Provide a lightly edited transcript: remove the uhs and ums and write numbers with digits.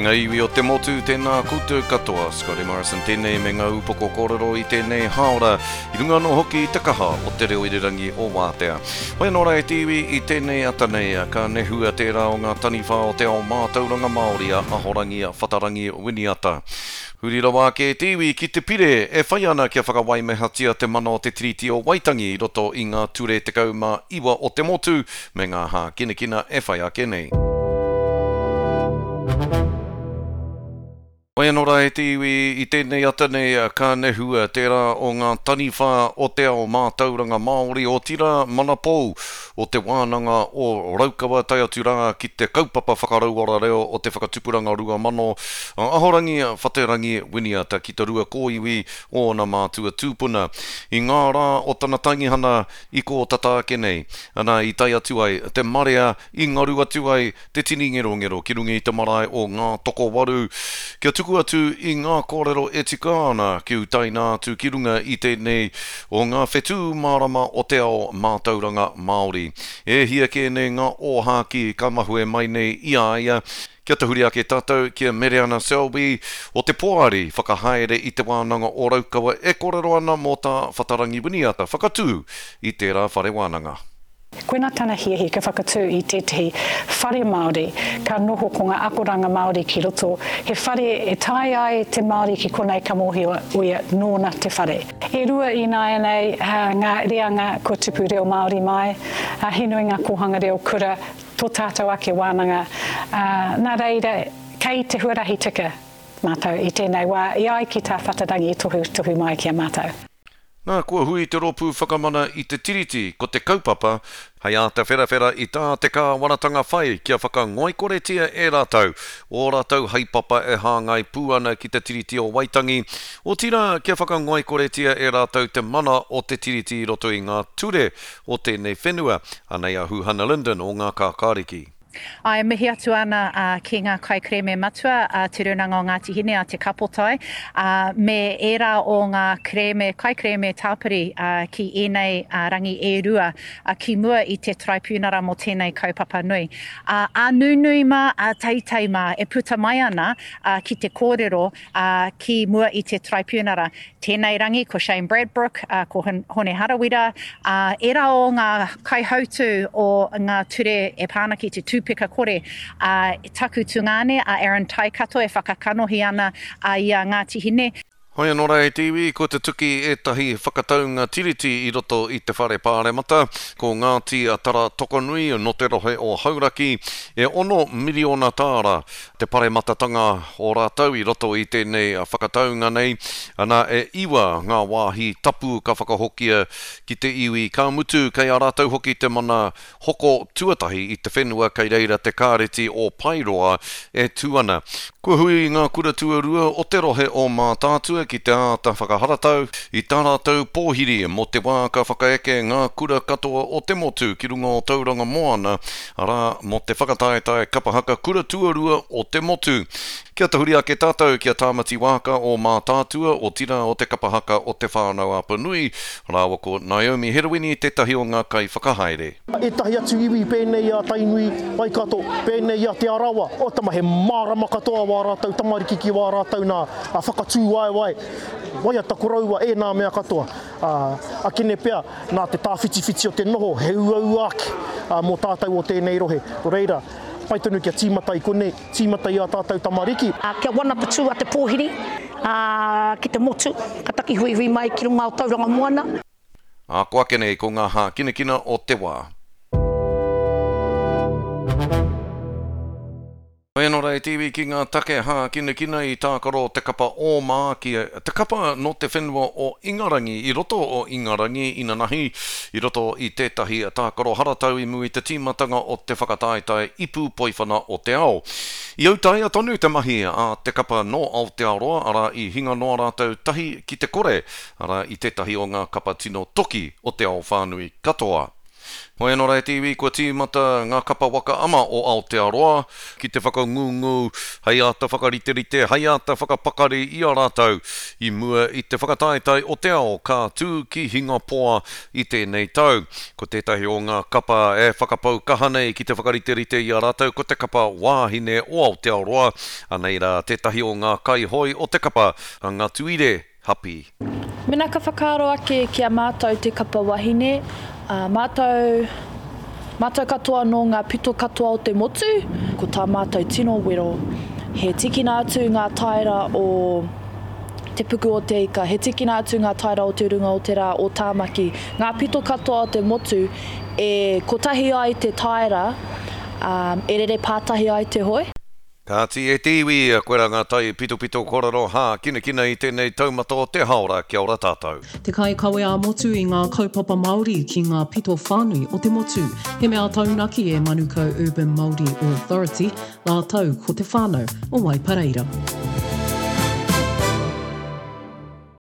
ngā iwi o te motu, tēnā koutou katoa. Scotty Morrison tēnei me ngā upoko kōrero i tēnei hāora, i runga anō hoki i te kaha o te reo irirangi o Wātea. Hoi anō rā e te iwi, i tēnei ata nei, ka nehua tērā o ngā taniwha o te ao mātauranga Māori a Ahorangi Whatarangi Winiata. Huri rawa ake te iwi ki te pire e whai ana kia whakawaimehatia te mana o te Tiriti o Waitangi i roto i ngā ture 19 o te motu me ngā hākinakina e whai ake nei. Whai anō rā e te iwi, i tēnei ata nei ka nehua tērā o ngā taniwha o te ao mātauranga Māori, otirā manapou o Te Wānanga o Raukawa tae atu rā ki te kaupapa whakarauora reo o te Whakatupuranga 2000, a Ahorangi Whaterangi Winiata ki te rua kōiwi o ōna mātua tūpuna. I ngā rā o tana taingihana i kō tata ake nei, ana i tae atu ai te marea i ngaru atu ai te tini ngerongero ki runga i te marae o Ngātokowaru kia tuku atu i ngā kōrero e tika ana kia utaina atu ki runga i tēnei o ngā whetū mārama o te ao mātauranga Māori. E hia kē nei ngā ōhākī ka mahue mai nei i a ia. Kia tahuri ake tātou ki a Mereana Selby o te Poari Whakahaere i Te Wānanga o Raukawa e kōrero ana mō tā Whatarangi Winiata whakatū i tērā whare wānanga. Koina tana hiahia kia whakatū i tētehi whare Māori ka noho ko ngā akoranga Māori ki roto, he whare e tae ai te Māori ki konei ka mōhio ia nōna te whare. E rua ināianei ngā reanga kua tupu reo Māori mai, he nui ngā kōhanga reo kura, tō tātou ake wānanga, nā reira kei te huarahi tika mātou i tēnei wā e ai ki tā Whatarangi i tohutohu mai ki a mātou. Nā, kua hui te Rōpū Whakamana i te Tiriti, ko te kaupapa, hei āta wherawhera i tā te kāwanatanga whai kia whakangoikoretia e rātou ō rātou haepapa e hāngai pū ana ki te Tiriti o Waitangi, otirā kia whakangoikoretia e rātou te mana o te Tiriti i roto i ngā ture o tēnei whenua. Anei a Huhana Lyndon o Ngā Kākāriki. Ā, e mihi atu ana ki ngā kaikerēme matua a Te Rūnanga o Ngāti Hine, a Te Kapotai, ā, me ērā o ngā kerēme, kaikerēme tāpiri ki ēnei rangi e rua ki mua i te Taraipiunara mō tēnei kaupapa nui. Ā, ā nunui mā, ā teitei mā e puta mai ana ki te kōrero ki mua i te Taraipiunara. Tēnei rangi ko Shane Bradbrook, ko Hone Harawira, ā, ērā o ngā kaihautū o ngā ture e pā ana ki te tūpeka kore, ā, taku tungāne a Aaron Taikato e whakakanohi ana i a Ngāti Hine. Hoi anō rā e te iwi, kua tutuki ētahi whakataunga Tiriti i roto i te Whare Pāremata, ko Ngāti Tara Tokonui nō te rohe o Hauraki, e ono miriona tāra te parematatanga o rātou i roto i tēnei whakataunga nei, ana, e iwa ngā wāhi tapu ka whakahokia ki te iwi, ka mutu kei a rātou hoki te mana hoko tuatahi i te whenua kei reira te kāreti o Paeroa e tū ana. Kua hui ngā kura tuarua o te rohe o Mātaatua ki te āta whakaharatau i tā rātou pōhiri mō te wā ka whakaeke ngā kura katoa o te motu ki runga o Tauranga Moana arā, mō te whakataetae kapa haka kura tuarua o te motu. Kia tahuri ake tātou ki a Tāmati Waaka o Mātaatua, otirā o te kapa haka o Te Whānau-a-Apanui, rāua ko Naomi Herewini tētahi o ngā kaiwhakahaere. Ētahi atu iwi pēnei i a Tainui, Waikato, pēnei i a Te Arawa, oh tama he mārama katoa wā rātou tamariki ki wā rātou nā whakatū waewae, waiata koroua, ēnā mea katoa. Ā, akene pea, nā te tāwhitiwhiti o te noho, he uaua ake mō tātou o tēnei rohe. Nō reira, pai tonu kia tīmata i konei, tīmata i ā tātou tamariki. Kia wanaputū a te pōhiri ki te motu, ka taki huihui mai ki runga o Tauranga Moana. Ā, ko ake nei ko ngā hākinakina o te wā. Whai anō rā e te iwi ki ngā take hākinakina i tākaro te kapa Ōmā ki te kapa nō te whenua o Ingarangi i roto o Ingarangi inanahi i roto i tētahi tākaro haratau i mua i te tīmatanga o te whakataetae ipu poiwhana o te ao. I autaia tonu te mahi a te kapa nō Aotearoa arā i hinga noa rātou tahi ki te kore arā i tētahi o ngā kapa tino toki o te ao whānui katoa. Hoi anō rā e te iwi, kua tīmata ngā kapa waka ama o Aotearoa ki te whakangungu hei āta whakariterite, hei āta whakapakari i a rātou i mua i te whakataetae o te ao ka tū ki Hingapoa i tēnei tau. Ko tētahi o ngā kapa e whakapau kaha nei ki te whakariterite i a rātou ko te kapa wāhine o Aotearoa. Anei rā tētahi o ngā kaihoe o te kapa, a Ngatuire Hapi. Mena ka whakaaro ake ki a mātou te kapa wahine, ā, mātou, mātou katoa nō ngā pito katoa o te motu, ko tā mātou tino wero, he tikina atu ngā taera o Te Puku o Te Ika, he tikina atu ngā taera o Te Runga o Te Rā, o Tāmaki, ngā pito katoa o te motu e kotahi ai te taera, ā, e rere pātahi ai te hoe. Kāti e te iwi, koirā ngā tai pitopito korero hākinakina i tēnei taumata o te haora, kia ora tātou. Te kaikawe ā-motu i ngā kaupapa Māori ki ngā pito whānui o te motu. He mea taunaki e Manukau Urban Māori Authority rātou ko te whānau o Waipareira.